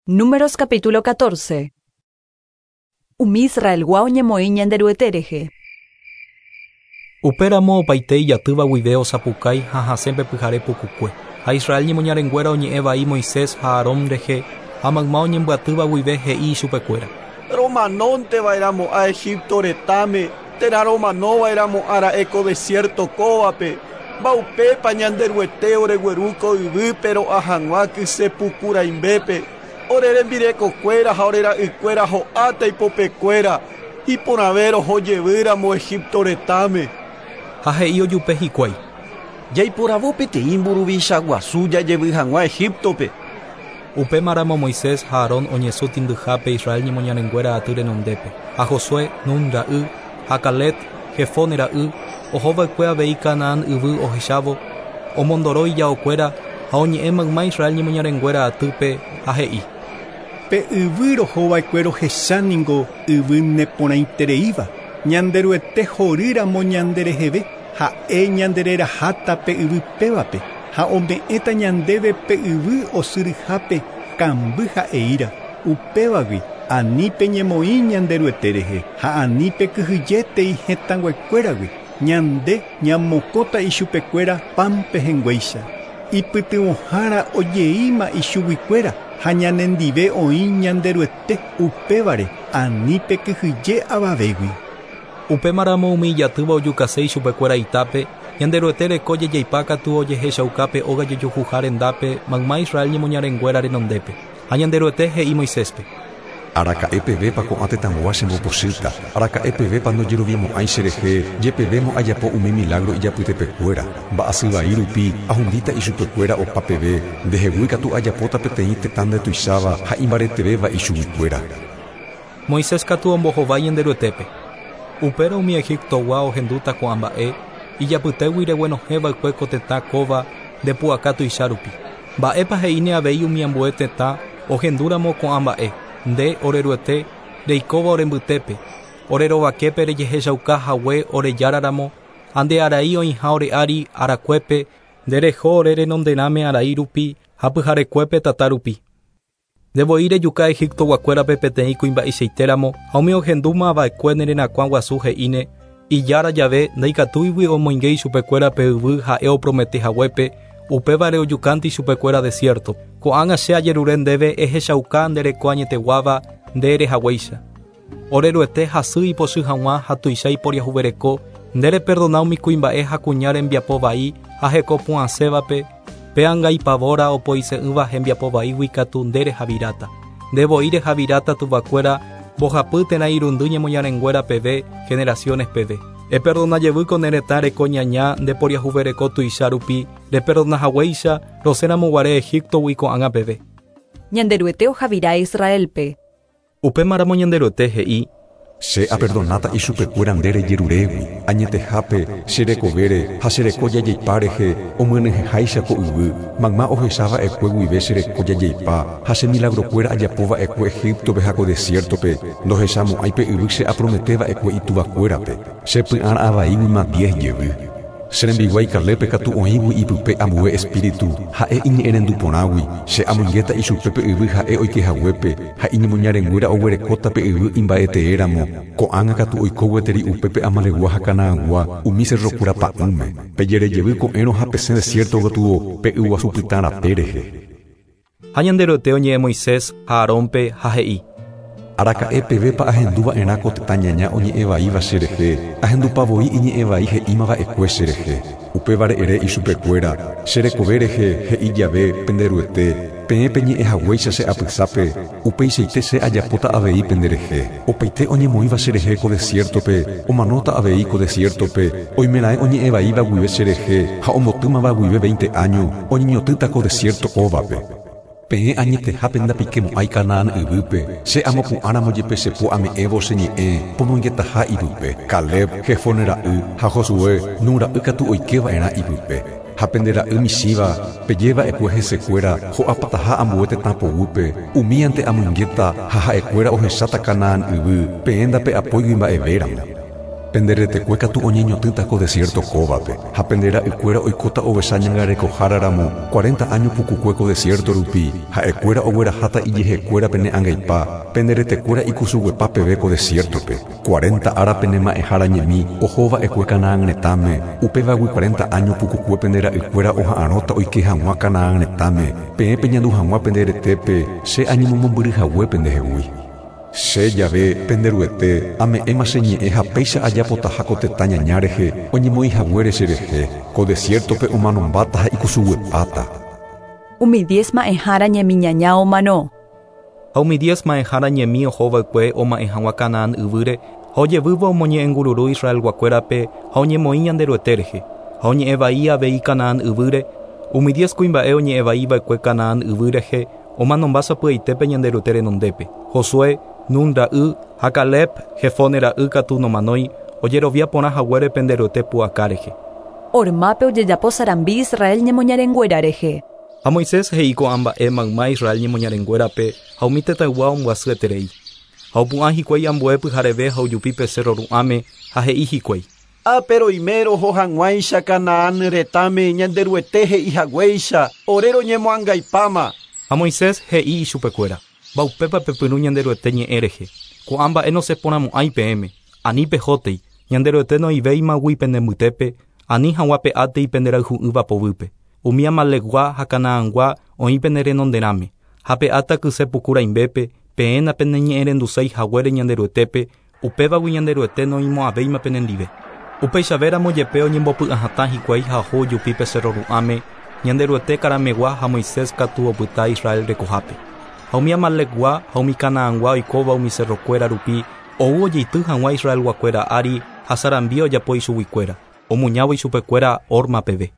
Números capítulo 14. Umi Israelgua oñemoĩ Ñanderuete rehe. Upéramo opaite ijatýva guive osapukái ha hasẽ pe pyhare pukukue. Ha Israel ñemoñarenguéra oñe'ẽ vai Moisés ha Aarón rehe, ha mayma oñembyatýva guive he'i ichupekuéra. Romanónte va'erãmo'ã Egipto retãme, térã romano va'erãmo'ã ra'e ko desiérto kóvape. Mba'upépa Ñanderuete oregueru ko yvýpe ro'a hag̃ua kyse puku rãimbépe? Ore rembirekokuéra ha ore ra'ykuéra ho'áta ipopekuéra, iporãve roho jevýramo Egipto retãme. Ha he'i ojupe hikuái. Jaiporavo peteĩ mburuvicha guasu jajevy hag̃ua Egíptope. Upémaramo Moisés ha Aarón oñesũ tĩndyhápe Israel ñemoñarenguéra aty renondépe, ha Josué, Nun ra'y, ha Caleb, Jefone ra'y, oho va'ekue avei Canaán yvy ohechávo, omondoro ijaokuéra ha oñe'ẽ mayma Israel ñemoñarenguéra atýpe, ha he'i. Pe yvy roho va'ekue rohecha ningo yvy neporãitereíva, Ñanderuete horýramo ñandereheve, ha'e ñandereraháta pe yvy pévape, ha ome'ẽta ñandéve pe yvy osyryhápe kamby ha eíra. Upévagui ani peñemoĩ Ñanderuete rehe ha ani pekyhyjétei hetãnguekuéragui, ñande ñamokõta ichupekuéra pan pehẽnguéicha. Ipytyvõhára ojeíma ichuguikuéra ha ñanendive oĩ Ñanderuete, upévare ani pekyhyje avavégui. Upémaramo umi ijatýva ojukase ichupekuéra itápe, Ñanderuete reko jejeipa katu ojehechauka pe óga jojohuha rendápe mayma Israel ñemoñarenguéra renondépe. Ha Ñanderuete he'i Moiséspe. Araka'e pevépa ko'ã tetãgua chembopochýta? Araka'e pevépa ndojeroviamo'ãi cherehe, jepevémo ajapo umi milágro ijapytepekuéra? Mba'asy vai rupi ahundíta ichupekuéra opa peve, ndehegui katu ajapóta peteĩ tetã ndetuicháva ha imbaretevéva ichuguikuéra. Moisés katu ombohovái Ñanderuetépe. Upérõ umi Egiptogua ohendúta ko'ã mba'e, ijapytégui reguenohẽ va'ekue ko tetã kóva nde pu'aka tuicha rupi. Mba'épa he'íne avei umi ambue tetã ohendúramo ko'ã mba'e, nde, ore Ruete, reikóva ore mbytépe, ore rovaképe rejehechauka hague ore Jára ramo, ha nde arai oĩha ore ári arakuépe, nde reho ore renonderãme arai rupi ha pyharekuépe tata rupi. Nde voi rejuka Egiptoguakuérape peteĩ kuimba'eichaitéramo ha umi ohendúma va'ekue ne rerakuã guasu he'íne, Ijára jave ndaikatúigui omoinge ichupekuéra pe yvy ha'e opromete haguépe, upévare ojukánte ichupekuéra desiértope. Ko'ág̃a che ajerure ndéve ehechauka nde reko añeteguáva nde ere haguéicha. Ore Ruete hasy ipochy hag̃ua ha tuicha iporiahuvereko, nde reperdona umi kuimba'e ha kuña rembiapo vai ha heko pu'ãsévape, pe angaipavóra opoise'ỹva hembiapo vaígui katu nde rehaviráta. Nde voi rehaviráta tuvakuéra mbohapy térã irundy ñemoñarenguéra peve, generaciones peve. Eperdona jevy ko ne retã reko ñaña nde poriahuvereko tuicha rupi, reperdona haguéicha rosẽramo guare Egíptogui ko'ág̃a peve. Ñanderuete ohavira Israélpe. Upémaramo Ñanderuete he'i. Che aperdonáta ichupekuéra nde rejerurégui, añetehápe, che rekovére ha che reko jajeipa rehe omyenyhẽháicha ko yvy, mayma ohecha va'ekue guive che reko jajeipa ha che milagrokuéra ajapo va'ekue Egíptope ha ko desiértope, ndohechamo'ãi pe yvy che apromete va'ekue ituvakuérape. Che py'ara'ã vaíguima diez jevy. Che rembiguái Calébpe katu oĩgui ipype ambue espíritu, ha'e iñe'ẽrendu porãgui, che amoingéta ichupe pe yvy ha'e oike haguépe, ha iñemoñarenguéra oguerekóta pe yvy imba'etee ramo, ko'ág̃a katu oiko gueteri upépe Amalegua ha Canaangua, umi cerrokuéra pa'ũme. Pejere jevy ko'ẽrõ ha pesẽ desiérto gotyo pe yguasu pytã rape rehe. Ha Ñanderuete oñe'ẽ Moisés ha Aarónpe ha he'i. Araka'e pevépa ahendu va'erã ko tetã ñaña oñe'ẽ vaíva che rehe, ahendupa voi iñe'ẽ vai he'íma va'ekue che rehe. Upévare ere ichupekuéra, Che rekove rehe, he'i jave pende Ruete, peẽ peñe'ẽ haguéicha che apysápe, upeichaite che ajapóta avei pende rehe. Opaite oñemoĩva che rehe ko desiértope, omanóta avei ko desiértope, oimeraẽ oñe'ẽ vaíva guive che rehe ha ombotýmava guive veinte áño, oñeñotỹta ko desiérto kóvape. Peẽ añetehápe ndapikemo'ãi Canaán yvýpe, che amopu'ãramo jepe che po ame'ẽvo che ñe'ẽ pomoingetaha ipype. Caleb, Jefone ra'y, ha Josué, Nun ra'y katu oike va'erã ipype. Ha pende ra'y michĩva, peje va'ekue hesekuéra ho'apataha ambue tetã poguýpe, umíante amoingéta ha ha'ekuéra ohecháta Canaán yvy, peẽ ndape'apóigui mba'evéramo. Pende retekue katu oñeñotỹta ko desierto kóvape, ha pende ra'ykuéra oikóta ovecha ñangarekoháraramo 40 áño pukukue ko desierto rupi, ha'ekuéra ogueraháta ijehekuéra pene angaipa, pende retekuéra ikusuguepa peve ko desierto-pe. 40 ára pene ma'ẽhára ñemi ohova'ekue Canaán retãme, upévagui 40 áño pukukue pende ra'ykuéra oha'arõta oike hag̃ua Canaán retãme, peẽ peñandu hag̃ua pende retépe che añemomombyryhague pendehegui. Che jave pende Ruete ame'ẽma che ñe'ẽ ha péicha ajapotaha ko tetã ñaña rehe oñemoĩhaguére cherehe, ko desierto-pe omanombáta ha ikusuguepáta. Umi 10 ma'ẽhára ñemi ñaña omano. Ha umi 10 ma'ẽhára ñemi ohova'ekue oma'ẽ hag̃ua Canaán yvýre ha ojevývo omoñe'ẽngururu Israelguakuérape ha oñemoĩ Ñanderuete rehe, ha oñe'ẽvai avei Canaán yvýre, umi 10 kuimba'e oñe'ẽvaiva'ekue Canaán yvy rehe omanomba sapy'aitépe Ñanderuete renondépe. Josué, Nun ra'y ha Caleb, Jefone ra'y katu nomanói, ojerovia porã haguére Penderuete pu'aka rehe. Hormápe ojejapo sarambi Israel ñemoñarenguéra rehe. Ha Moisés he'i ko'ã mba'e mayma Israel ñemoñarenguérape ha umi tetãygua ombyasyeterei. Ha opu'ã hikuái ambue pyhareve ha ojupi pe cerro ru'ãme ha he'i hikuái. Ápe roho hag̃uáicha Canaán retãme Ñanderuete he'ihaguéicha ore roñemoangaipáma. Ha Moisés he'i ichupekuéra. Mbaupépa pepyrũ Ñanderuete ñe'ẽ rehe. Ko'ã mba'e noseporãmo'ãi peẽme. Ani pehótei, Ñanderuete noivéimagui pende mbytépe, ani hag̃ua pe'átei penderayhu'ỹva poguýpe. Umi Amalekgua ha Canaangua oĩ pene renonderãme. Ha pe'áta kyse puku rãimbépe, peẽ napeneñe'ẽrenduséi haguére Ñanderuetépe, upévagui Ñanderuete noĩmo'ãvéima penendive. Upeichavéramo jepe oñembopy'ahatã hikuái ha oho ojupi pe cerro ru'ãme, Ñanderuete karamegua ha Moisés katu opyta Israel rekohápe. Ha umi Amalekgua ha umi Canaangua oikóva umi cerrokuéra rupi ou ojeity hag̃ua Israelguakuéra ári ha sarambi ojapo ichuguikuéra, omuñávo ichupekuéra Horma peve.